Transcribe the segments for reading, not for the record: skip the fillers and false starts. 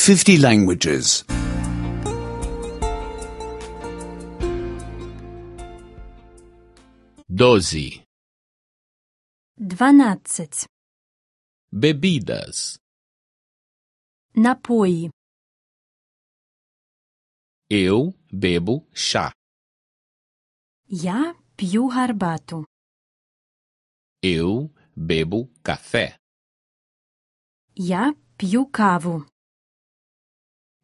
50 languages. 12. 12. Bebidas. Напої. Eu bebo chá. Я п'ю гарбату. Eu bebo café. Я п'ю каву.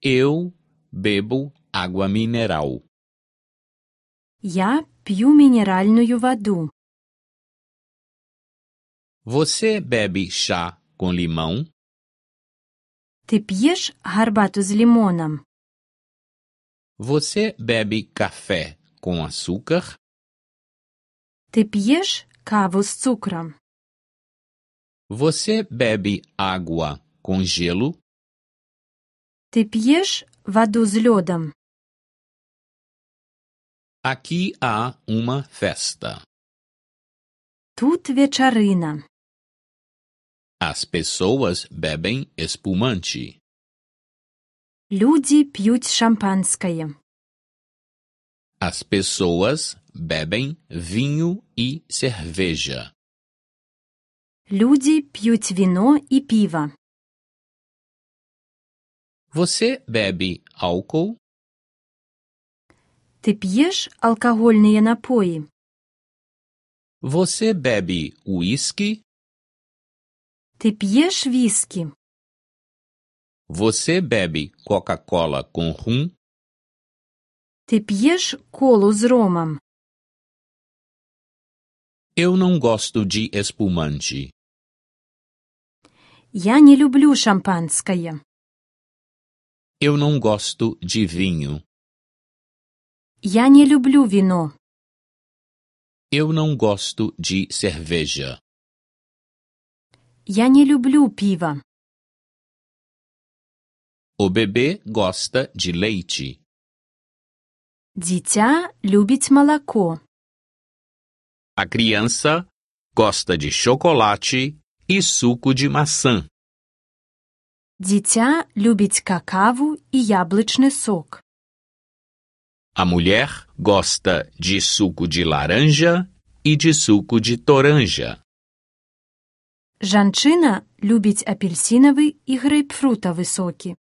Eu bebo água mineral. Я п'ю мінеральну воду. Você bebe chá com limão? Ти п'єш гарбату з лимоном? Você bebe café com açúcar? Ти п'єш каву з цукром? Você bebe água com gelo? Ти п'єш воду з льодом? Aqui há uma festa. Тут вечерина. As pessoas bebem espumante. Люди п'ють шампанське. As pessoas bebem vinho e cerveja. Люди п'ють віно і пиво. Você bebe álcool? Ти п'єш алкогольні напої? Você bebe uísque? Ти п'єш віскі? Você bebe Coca-Cola com rum? Ти п'єш колу з ромом? Eu não gosto de espumante. Я не люблю шампанське. Eu não gosto de vinho. Я не люблю віно. Eu não gosto de cerveja. Я не люблю пиво. O bebê gosta de leite. Дитя любить молоко. A criança gosta de chocolate e suco de maçã. Дитя любить какаву і яблучний сок. A mulher gosta de suco de laranja e de suco de toranja. Жанчина любить апельсиновий і грейпфрутовий соки.